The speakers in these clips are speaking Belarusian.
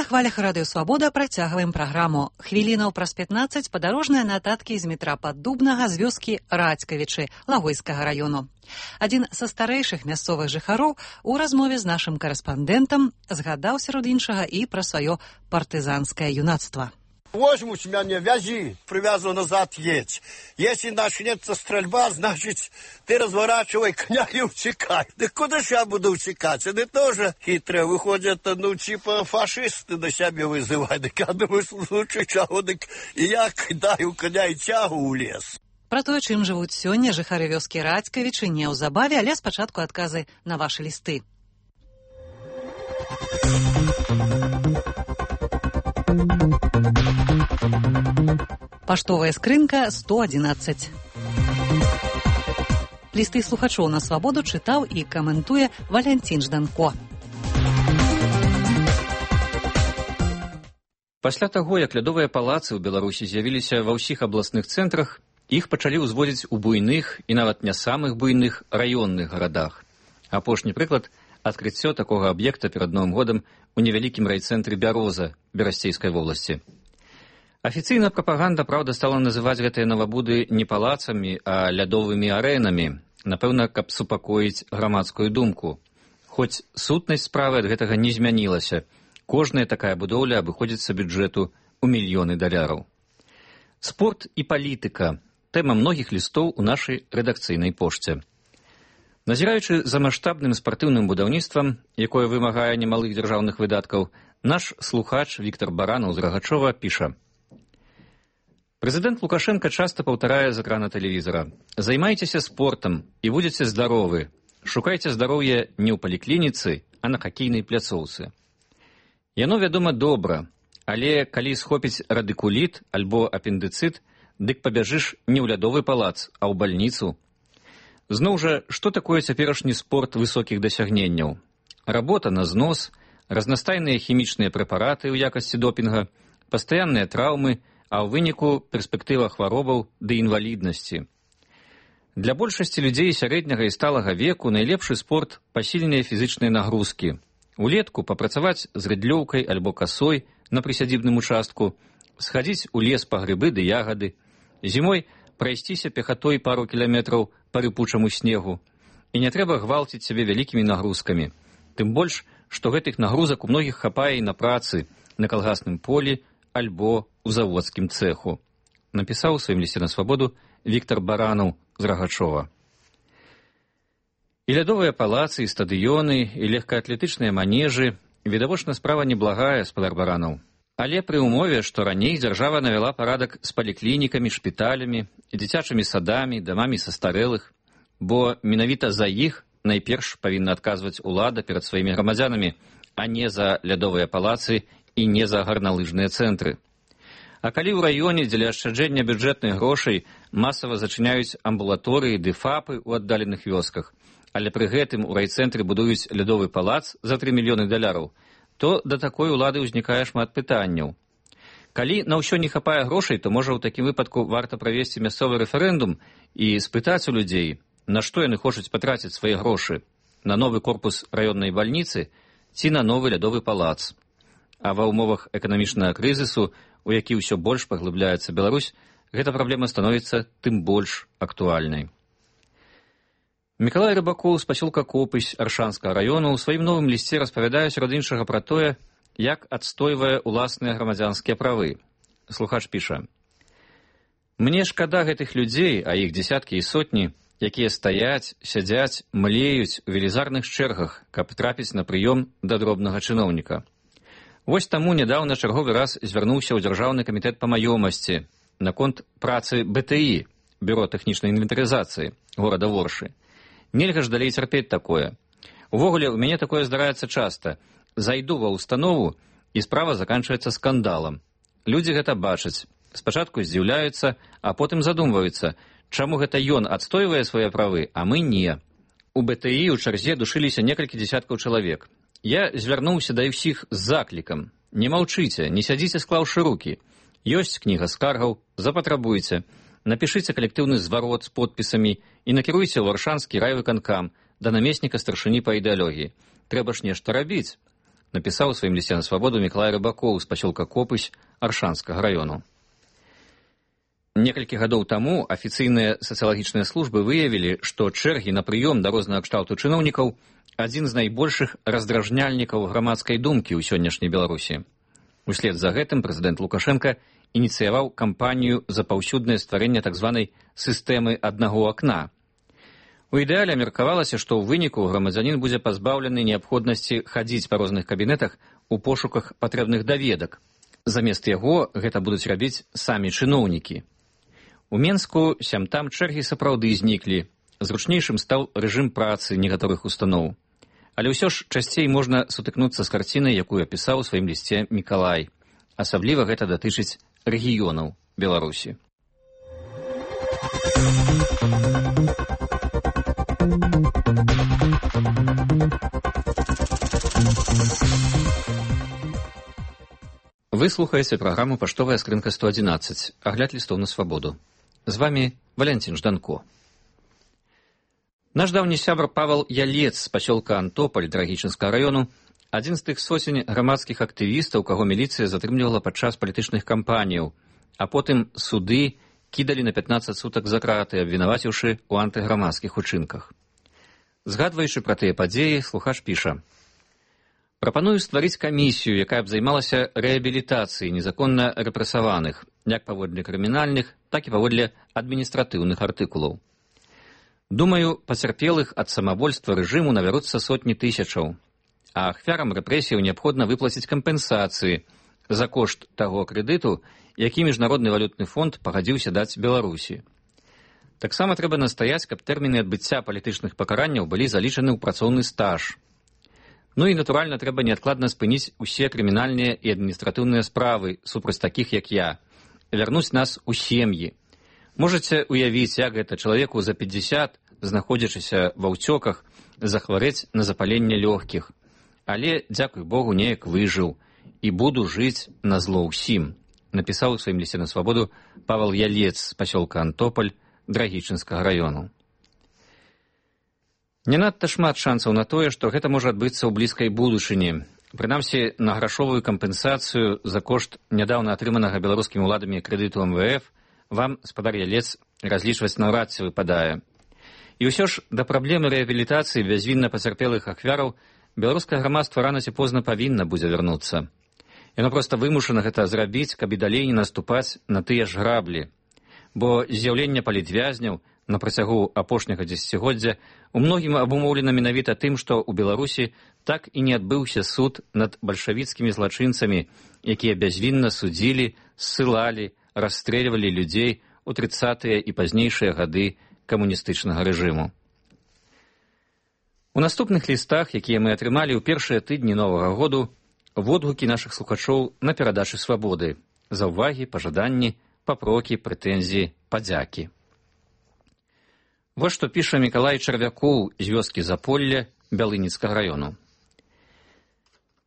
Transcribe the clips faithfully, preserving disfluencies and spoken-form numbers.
На хвалях радыё Свабода працягваем праграму. Хвілінаў праз пятнаццаць падарожныя нататкі з метра Паддубнага з вёскі Радзькавічы Лагойскага раёну. Адзін са старэйшых мясцовых жыхароў у размове з нашым карэспандэнтам згадаў сярод іншага і пра сваё партызанскае юнацтва. Возьмут меня, вязи, привязывай назад, едь. Если начнется стрельба, значит, ты разворачивай коня и утекай. Да куда же я буду утекать? Они тоже хитрые, выходят, ну, типа фашисты на себя вызывают. Так я думаю, лучше чего, так и я кидаю коня и тягу в лес. Пра тое, чым жывуць сёння жыхары вёскі Радзькавічы, неўзабаве, але спачатку адказы на вашы лісты. Паштовая скрынка сто адзінаццаць. Лісты слухачоў на Свабоду чытаў і каментуе Валянцін Жданко. Пасля таго, як лядовыя палацы ў Беларусі з'явіліся ва ўсіх абласных цэнтрах, іх пачалі ўзводзіць у буйных і нават не самых буйных раённых гарадах. Апошні прыклад – адкрыццё такога аб'екта перад Новым годам у невялікім райцэнтры Бяроза Берасцейскай вобласці. Афіцыйна прапаганда, праўда, стала называць гэтыя навабуды не палацамі, а лядовымі арэнамі, напэўна, каб супакоіць грамадскую думку. Хоць сутнасць справы ад гэтага не змянілася. Кожная такая будоўля абыходзіцца бюджэту ў мільёны даляраў. Спорт і палітыка – тэма многіх лістоў у нашай рэдакцыйнай пошце. Назіраючы за маштабным спартыўным будаўніцтвам, якое вымагае немалых дзяржаўных выдаткаў, наш слухач Віктор Баранаў з Рагачова піша: Прэзідэнт Лукашенко часта паўтарае з экрана тэлевізара: «Займайцеся спортам і будзеце здаровы. Шукайце здароўе не ў паліклініцы, а на хакейнай пляцоўцы». Яно, вядома, добра, але калі схопіць радыкуліт альбо апендыцыт, дык пабяжыш не ў лядовы палац, а ў бальніцу. Зноў жа, што такое цяперашні спорт высокіх дасягненняў? Работа на знос, разнастайныя хімічныя прэпараты ў якасці допінга, пастаянныя траўмы, а ў выніку перспектыва хваробаў ды інваліднасці. Для большасці людзей сярэдняга і сталага веку найлепшы спорт – пасільныя фізычныя нагрузкі. Улетку папрацаваць з рыдлёўкай альбо касой на прысядзібным участку, схадзіць у лес па грыбы ды ягады, зімой прайсціся пехатой пару кіламетраў па рыпучаму снегу. І не трэба гвалціць сябе вялікімі нагрузкамі. Тым больш, што гэтых нагрузак у многіх хапае і на працы, на калгасным полі альбо ў заводскім цэху. Напісаў у сваім лісце на Свабоду Віктор Баранаў з Рагачова. І лядовыя палацы, і стадыёны, і легкаатлетычныя манежы – відавочна справа неблагая, спадар Баранаў. Але пры ўмове, што раней дзяржава навяла парадак з паліклінікамі, шпіталямі, дзіцячымі садамі, дамамі састарэлых, бо менавіта за іх найперш павінна адказваць улада перад сваімі грамадзянамі, а не за лядовыя палацы і не за гарналыжныя цэнтры. А калі ў раёне дзеля ашчаджэння бюджэтных грошай масава зачыняюць амбулаторыі ды фапы ў аддаленых вёсках, але пры гэтым у райцэнтры будуюць лядовы палац за тры мільёны даляраў, то да такой улады ўзнікае шмат пытанняў. Калі на ўсё не хапае грошай, то, можа, у такім выпадку варта правесці мясцовы рэферэндум і спытаць у людзей, на што яны хочуць патраціць свае грошы – на новы корпус раённай бальніцы ці на новы лядовы палац. А ва ўмовах эканамічнага крызісу, у які ўсё больш паглыбляецца Беларусь, гэта праблема становіцца тым больш актуальнай. Мікалай Рыбакоў з пасёлка Копысь Аршанскага раёну ў сваім новым лісце распавядае сярод іншага пра тое, як адстойвае ўласныя грамадзянскія правы. Слухач піша: «Мне шкада гэтых людзей, а іх дзесяткі і сотні, якія стаяць, сядзяць, млеюць у велізарных чэргах, каб трапіць на прыём да дробнага чыноўніка. Вось таму нядаўна чарговы раз звярнуўся ў Дзяржаўны камітэт па маёмасці наконт працы бэ тэ і, Бюро тэхнічнай інвентарызацыі горада Воршы. Нельга ж далей цярпець такое. Увогуле, у мяне такое здараецца часта. Зайду ва ўстанову, і справа заканчваецца скандалам. Людзі гэта бачаць. Спачатку здзіўляюцца, а потым задумваюцца, чаму гэта ён адстойвае свае правы, а мы не. У бэ тэ і ў чарзе душыліся некалькі дзесяткаў чалавек. Я звярнуўся да ўсіх з заклікам. Не маўчыце, не сядзіце склаўшы рукі. Ёсць кніга скаргаў, запатрабуйце. Напішыце калектыўны зварот з подпісамі і накіруйце ў Аршанскі райвыканкам да намесніка старшыні па ідэалогіі. Трэба ж нешта рабіць. напісаў у сваім лісце на свабоду Мікалай Рыбакоў з пасёлка Копысь Аршанскага раёну. Некалькі гадоў таму афіцыйныя сацыялагічныя службы выявілі, што чэргі на прыём да рознага кшталту чыноўнікаў адзін з найбольшых раздражняльнікаў грамадскай думкі ў сённяшняй Беларусі. Услед за гэтым прэзідэнт Лукашенка ініцыяваў кампанію за паўсюднае стварэнне так званай сістэмы аднаго акна. У ідэале меркавалася, што ў выніку грамадзянін будзе пазбаўлены неабходнасці хадзіць па розных кабінетах у пошуках патрэбных даведак. Замест яго гэта будуць рабіць самі чыноўнікі. У Менску сям-там чэргі сапраўды зніклі. Зручнейшым стаў рэжым працы некаторых устаноў. Але ўсё ж часцей можна сутыкнуцца з карцінай, якую апісаў у сваім лісце Мікалай. Асабліва гэта датычыць рэгіёнаў Беларусі. Вы слухаеце праграму «Паштовая скрынка сто адзінаццаць», агляд лістоў на свабоду. З вамі Валянцін Жданко. Наш даўні сябр Павал Ялец з пасёлка Антополь Драгічынскага раёну адзін з тых сотень грамадскіх актывістаў, каго міліцыя затрымлівала падчас палітычных кампаніяў, а потым суды кідалі на пятнаццаць сутак за краты, абвінаваціўшы ў антыграмадскіх учынках. Згадваючы пра тыя падзеі, слухач піша: «Прапаную стварыць камісію, якая б займалася рэабілітацыяй незаконна рэпрэсаваных, як паводле крымінальных, так і паводле адміністратыўных артыкулаў. Думаю, пацярпелых ад самавольства рэжыму набяруцца сотні тысячаў, а ахвярам рэпрэсіяў неабходна выплаціць кампенсацыі за кошт таго крэдыту, які Міжнародны валютны фонд пагадзіўся даць Беларусі. Таксама трэба настаяць, каб тэрміны адбыцця палітычных пакаранняў былі залічаны ў працоўны стаж. Ну і, натуральна, трэба неадкладна спыніць усе крымінальныя і адміністратыўныя справы супраць такіх, як я, вярнуць нас у сем'і. Можаце уявіць, як гэта чалавеку за пятьдесят, знаходзячыся ва ўцёках, захварэць на запаленне лёгкіх. Але, дзякуй Богу, неяк выжыў і буду жыць на зло ўсім», напісаў у сваім лісце на свабоду Павал Ялец з пасёлка Антополь Драгічынскага раёну. Не надта шмат шансаў на тое, што гэта можа адбыцца ў блізкай будучыні. Прынамсі, на грашовую кампенсацыю за кошт нядаўна атрыманага беларускімі ўладамі крэдыту эм вэ эф вам, спадар Ялец, разлічваць наўрад ці выпадае. І ўсё ж да праблемы рэабілітацыі бязвінна пацярпелых ахвяраў беларускае грамадства рана ці позна павінна будзе вярнуцца. Яно проста вымушана гэта зрабіць, каб і далей не наступаць на тыя ж граблі. Бо з'яўленне палітвязняў на працягу апошняга дзесяцігоддзя у многім абумоўлена менавіта тым, што ў Беларусі так і не адбыўся суд над бальшавіцкімі злачынцамі, якія бязвінна судзілі, ссылалі, расстрэльвалі людзей у трыццатыя і пазнейшыя гады камуністычнага рэжыму. У наступных лістах, якія мы атрымалі ў першыя тыдні новага году, водгукі нашых слухачоў на перадачы свабоды, заўвагі, пажаданні, папрокі, прэтэнзіі, падзякі. Вось што піша Мікалай Чарвякоў з вёскі Заполля Бялыніцкага раёну.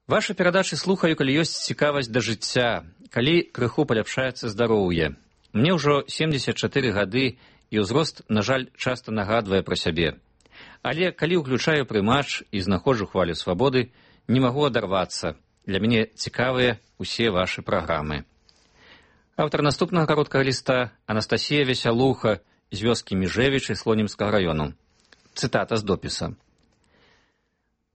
«Вашы перадачы слухаю, калі ёсць цікавасць да жыцця, калі крыху паляпшаецца здароўе. Мне ўжо семдзесят чатыры гады, і ўзрост, на жаль, часта нагадвае пра сябе. Але калі ўключаю прымач і знаходжу хвалю свабоды, не магу адарвацца. Для мяне цікавыя усе вашы праграмы». Аўтар наступнага кароткага ліста Анастасія Весялуха з вёскі Міжэвічы Слонімскага раёну. Цытата з допіса.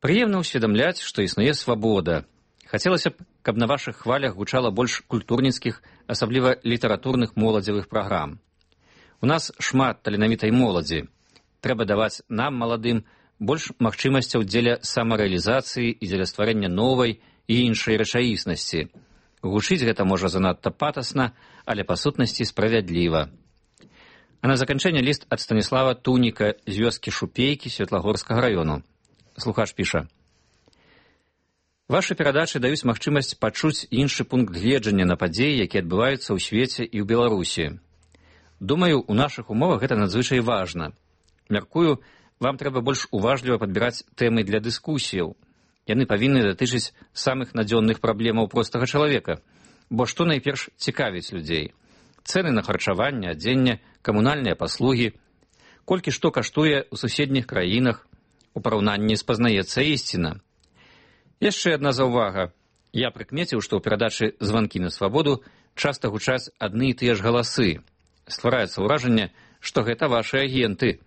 «Прыемна ўсведамляць, што існуе свабода. Хацелася б, каб на вашых хвалях гучала больш культурніцкіх, асабліва літаратурных моладзевых праграм. У нас шмат таленавітай моладзі. Трэба даваць нам, маладым, больш магчымасцяў дзеля самарэалізацыі і дзеля стварэння новай і іншай рэчаіснасці. Гучыць гэта можа занадта патасна, але па сутнасці справядліва». А на заканчэнне ліст ад Станіслава Туніка з вёскі Шупейкі Светлагорскага раёну. Слухач піша: «Вашы перадачы даюць магчымасць пачуць іншы пункт гледжання на падзеі, якія адбываюцца ў свеце і ў Беларусі. Думаю, у нашых умовах гэта надзвычай важна. Мяркую, вам трэба больш уважліва падбіраць тэмы для дыскусіяў. Яны павінны датычыць самых надзённых праблемаў простага чалавека, бо што найперш цікавіць людзей? Цэны на харчаванне, адзенне, камунальныя паслугі, колькі што каштуе ў суседніх краінах, у параўнанні спазнаецца ісціна. Яшчэ адна заўвага. Я прыкмеціў, што ў перадачы «Званкі на свабоду» часта гучаць адны і тыя ж галасы. Ствараецца ўражанне, што гэта вашы агенты.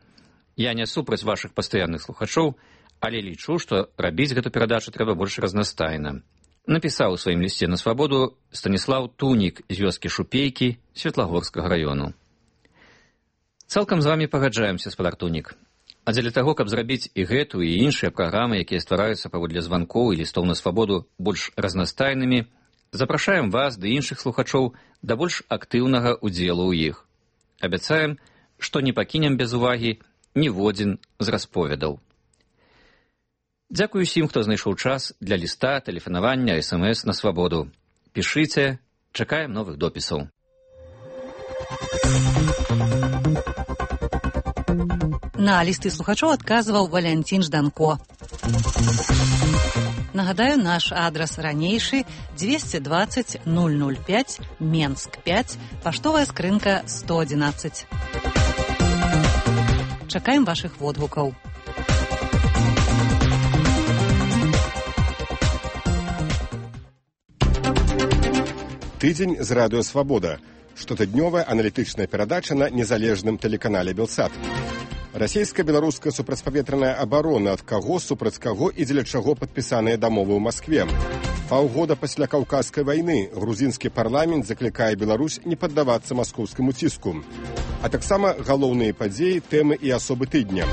Я не супраць вашых пастаянных слухачоў, але лічу, што рабіць гэту перадачу трэба больш разнастайна. Напісаў у сваім лісце на свабоду Станіслаў Тунік з вёскі Шупейкі Светлагорскага раёну. Цалкам з вамі пагаджаемся, спадар Тунік. А дзеля таго, каб зрабіць і гэту, і іншыя праграмы, якія ствараюцца паводле званкоў і лістоў на свабоду больш разнастайнымі, запрашаем вас ды іншых слухачоў да больш актыўнага ўдзелу ў іх. Абяцаем, што не пакінем без увагі ніводзін з расповедаў. Дзякую усім, хто знайшоў час для ліста, тэлефанавання, эс эм эс на свабоду. Пішыце, чакаем новых допісаў. На лісты слухачоў адказваў Валянцін Жданко. Нагадаю, наш адрас ранейшы двести двадцать ноль ноль пять, Менск пять, паштовая скрынка сто одиннадцать. Чакаем вашых водгукаў. Тыдзень з радыё «Свабода». Штотыднёвая аналітычная перадача на незалежным тэлеканале «Белсат». Расійска-беларуская супрацьпаветраная абарона, ад каго, супраць каго і дзеля чаго падпісаныя дамовы ў Маскве. Паўгода пасля Каўказскай вайны грузінскі парламент заклікае Беларусь не паддавацца маскоўскаму ціску. А таксама галоўныя падзеі, тэмы і асобы тыдня.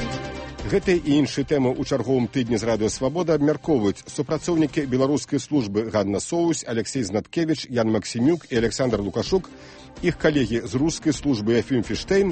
Гэтыя і іншыя тэмы ў чарговым тыдні з радыё «Свабода» абмяркоўваюць супрацоўнікі беларускай службы Ганна Соусь, Алексей Знаткевіч, Ян Максімюк і Александр Лукашук, іх калегі з рускай службы Ефім Фіштейн